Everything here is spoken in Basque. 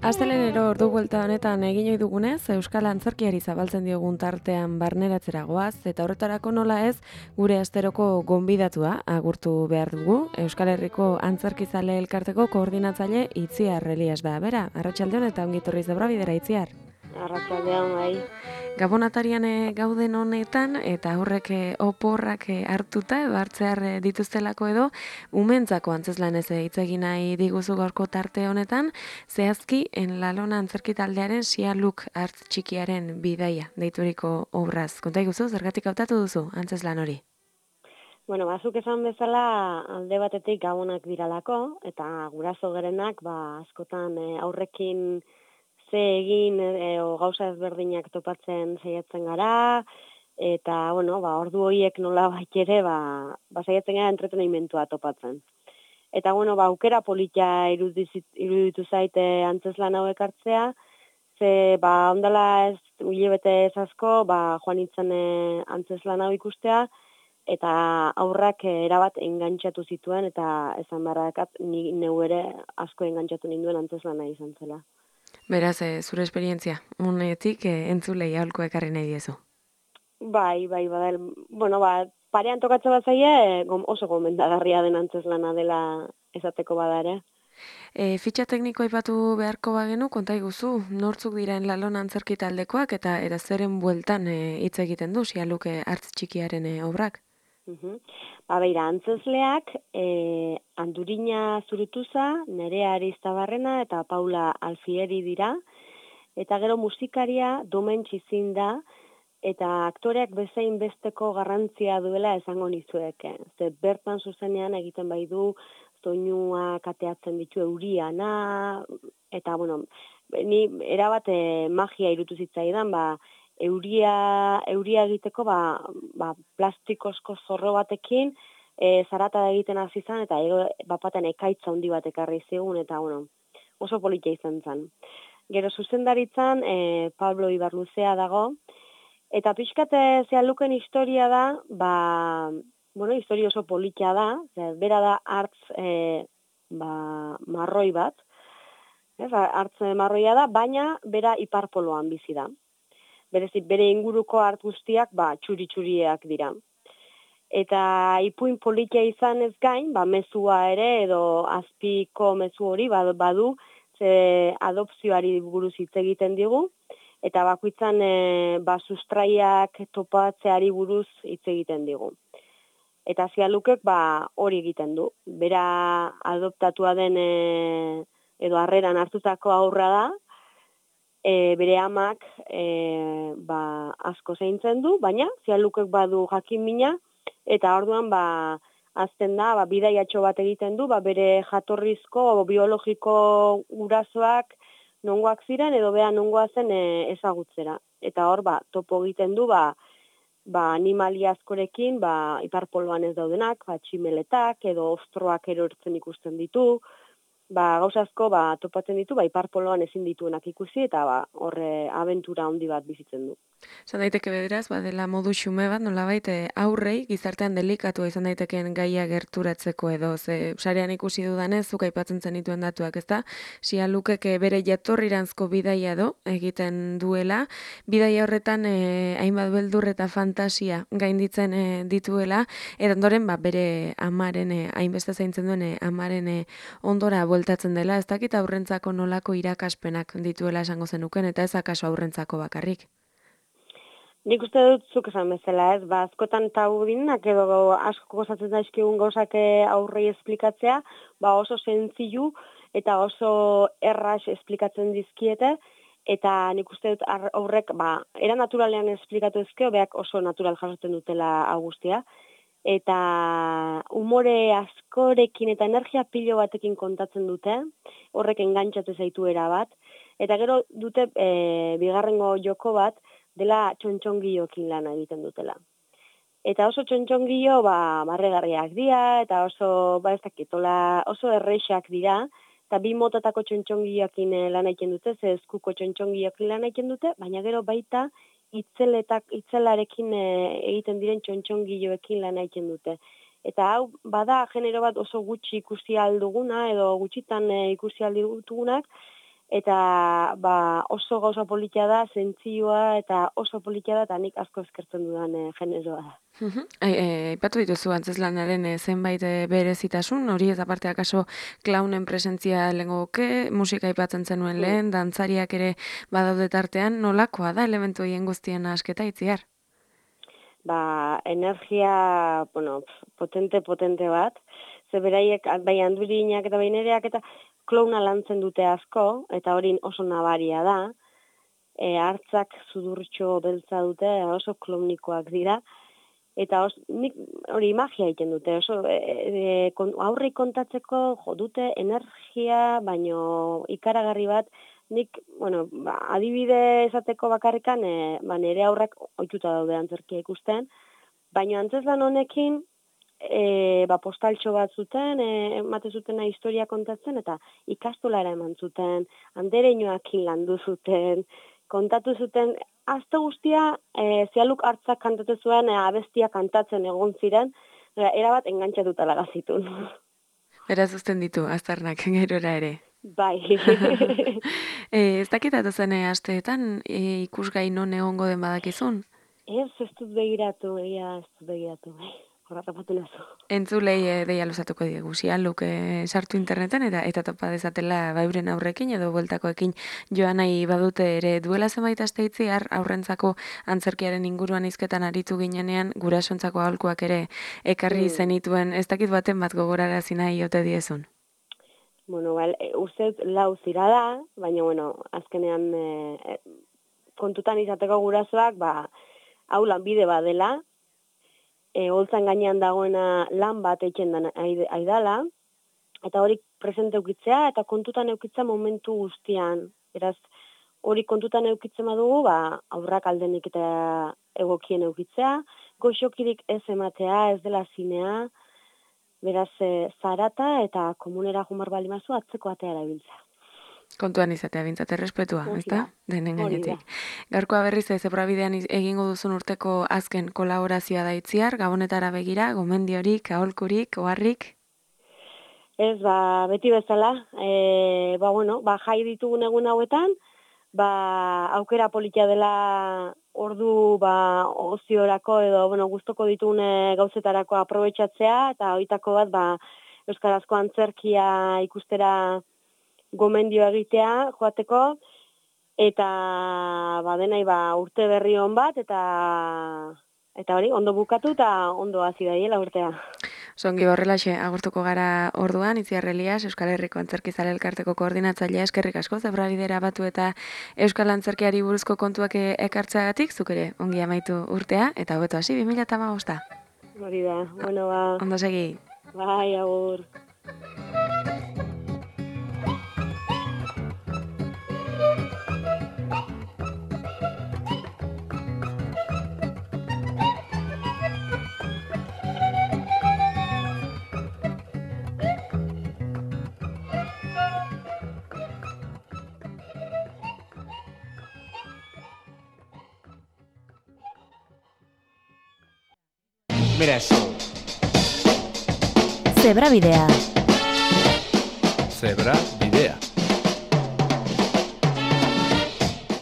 Astelenero ordu buelta honetan egin ohi dugunez, Euskal Antzerkiari zabaltzen diogun tartean barneratzera goaz, eta horretarako nola ez, gure asteroko gonbidatua agurtu behar dugu. Euskal Herriko Antzerkizale Elkarteko koordinatzaile Itziar Elias da. Bera, arratsaldeon eta ongi etorri Zebrabidera, Itziar. Arratsaldeon bai. Gabonatarian gauden honetan eta horrek oporrak hartuta edo hartzear dituztelako edo umentzako antzezlanez hitz egin nahi diguzu gaurko tarte honetan, zehazki Enlalona Antzerki taldearen Sialuk hartz txikiaren bidaia deituriko obraz. Konta iguzu, zergatik hautatu duzu antzezlan hori? Bueno, bazuk esan bezala alde batetik gabonak diralako eta guraso gerenak askotan aurrekin ze egin o gauza ezberdinak topatzen saiatzen gara eta ordu horiek nolabait ere saiatzen gara entretenimentua topatzen. Eta aukera polita iruditu zaite antzezlan hauek hartzea, ze ondala ez hilabete asko joan nintzen antzezlan hau ikustea eta aurrak erabat engantxatu zituen eta esan barrakat ni neu ere asko engantxatu ninduen antzezlana izan zela. Beraz, zure esperientzia, unetik entzulei aholko ekarri nahi diezu. Bai, parean tokatzen bat zaie, oso gomendagarria den antzezlana dela esateko bada ere. Fitxa tekniko aipatu beharko bagenu, konta iguzu, nortzuk dira Enlalona Antzerki taldekoak eta zeren bueltan hitz egiten du Sialuk hartz txikiaren obrak? Beira, antzezleak Andurina Zurutuza, Nerea Aristabarrena eta Paula Alfieri dira, eta gero musikaria Domen Txizin da, eta aktoreak bezain besteko garrantzia duela esango nizuek. Ze bertan zuzenean egiten bai du, soinua kateatzen ditu euriana, eta ni erabat magia irutu zitzaidan, euria egiteko plastikozko zorro batekin zarata egiten hasi zen eta bapaten ekaitza handi bat ekarri zigun eta oso polita izan zen. Gero zuzendaritzan Pablo Ibarluzea dago eta pixkate Sialuken historia da, historia oso polita da, bera da hartz marroi bat, hartz marroia da, baina bera iparpoloan bizi da. Berezik, bere inguruko hartz guztiak txuri-txuriak dira. Eta ipuin politia izan ez gain, mezua ere edo azpiko mezu hori badu, ze adopzioari buruz hitz egiten digu, eta bakoitzan sustraiak topatzeari buruz hitz egiten digu. Eta Sialukek hori egiten du. Bera adoptatua den edo harreran hartutako aurra da, bere amak asko zaintzen du, baina Sialukek badu jakin mina, eta orduan azten da, bidaiatxo bat egiten du, bere jatorrizko biologiko gurasoak nongoak ziren, edo bea nongoa zen ezagutzera. Eta hor, topo egiten du, animalia askorekin, iparpoloan ez daudenak, tximeletak, edo ostroak erortzen ikusten ditu, gauza asko topatzen ditu, iparpoloan ezin dituenak ikusi, eta horre abentura handi bat bizitzen du. Zan daiteke bederaz, dela modu xume bat, nolabait aurrei, gizartean delikatua izan daitekeen gaia gerturatzeko edo, ze sarean ikusi dudanez, zuk aipatzen zenituen datuak, ezta? Sialukek bere jatorriranzko bidaia egiten duela, bidaia horretan hainbat beldur eta fantasia gainditzen dituela, eta ondoren bere amaren, hainbeste zaintzen duen amaren ondora bueltatzen dela, ez dakit aurrentzako nolako irakaspenak dituela esango zenuken, eta ez akaso aurrentzako bakarrik. Nik uste dut zuk esan bezala ez, askotan tabudinak edo asko gozatzen daizkigun gauzak aurrei esplikatzea, oso sentzilu eta oso erraz esplikatzen dizkiete, eta nik uste dut aurrek, era naturalean esplikatu ezkeo, beak oso natural jasotzen dutela guztia, eta umore askorekin eta energia pilo batekin kontatzen dute, horrek engantxatu zaitu erabat, eta gero dute bigarrengo joko bat, dela txontxongiokin lana egiten dutela. Eta oso txontxongilo, marregarriak dira, eta oso, ez dakitola, oso erreixak dira, eta bi motatako txontxongiloekin lan egiten dute, ze eskuko txontxongiloekin lan egiten dute, baina gero baita itzelarekin egiten diren txontxongiloekin lan egiten dute. Eta hau, bada genero bat oso gutxi ikusi alduguna, edo gutxitan ikusi aldugunak, eta oso gauza politia da, zentzioa, eta oso politia da, eta nik asko eskertzen dudan generoa da. Aipatu dituzu antzezlanaren zenbait berezitasun, hori ez aparte akaso klaunen presentzia lehengoke, musika aipatzen zenuen lehen, dantzariak ere badaude tartean, nolakoa da elementu hien guztien asketa itziar? Energia, potente bat, ze beraiek, bai handurinak eta bai nereak eta klauna lantzen dute asko, eta hori oso nabaria da, hartzak sudurtxo beltza dute, oso klaunikoak dira, eta nik hori magia egiten dute, oso aurri kontatzeko jo dute energia, baino ikaragarri bat, nik, adibide esateko bakarrikan, nire aurrak ohituta daude antzerkia ikusten, baina antzezlan honekin, postaltxo bat zuten, emate zutena historia kontatzen, eta ikastolara eman zuten, andereinoakin landu zuten, kontatu zuten, azte guztia, zialuk hartzak kantatu zuen, abestia kantatzen egon ziren, erabat engantxatuta lagazitun. Beraz uzten ditu, aztarnak, gerora ere. Bai. Ez dakitatu zen asteetan ikusgai non egongo den badakizun? Ez dut begiratu, horratapatu nazu. Entzulei deia luzatuko diegu, Sialuk sartu interneten eta topa dezatela bauren aurrekin edo bueltakoekin joan nahi badute ere duela zenbait aste itziar aurrentzako antzerkiaren inguruan hizketan aritu ginenean gurasontzako aholkuak ere ekarri zenituen, ez dakit baten bat gogorarazi nahi ote diezun? Uste lau zira da, baina, azkenean kontutan izateko gurasoak, hau lanbide badela, holtzan gainean dagoena lan bat eitzen den aidala, eta hori presente eukitzea, eta kontutan eukitzea momentu guztian. Beraz, hori kontutan eukitzen badugu, aurrak aldenik eta egokien eukitzea, goxokirik ez ematea, ez dela zinea, beraz, zarata eta komunera jumar balimazu atzeko atea erabiltza. Kontuan izatea, bintzat errespetua, ezta? Denen gainetik. Gaurkoa berriz Zebrabidean egingo duzun urteko azken kolaborazioa da itziar, Gabonetara begira, gomendiorik, aholkurik, oharrik? Ez, beti bezala, jai ditugun egun hauetan, aukera politia dela ordu oziorako edo gustoko ditugun gauzetarako aprobetxatzea, eta hoitako bat euskarazko antzerkia ikustera gomendio egitea joateko, eta denai urte berri hon bat, eta hori, ondo bukatu eta ondo hasi daiela urtea. Zongi horrelaxe, agurtuko gara orduan, Itziar Elias, Euskal Herriko Antzerkizale Elkarteko koordinatzailea, eskerrik asko, Zebrabidera batu eta Euskal Antzerkiari buruzko kontuak ekartzeagatik, zuk ere ongi amaitu urtea, eta hobeto hasi 2015. Hori da, ondo segi. Bai, agur. Mira eso. Zebrabidea. Zebra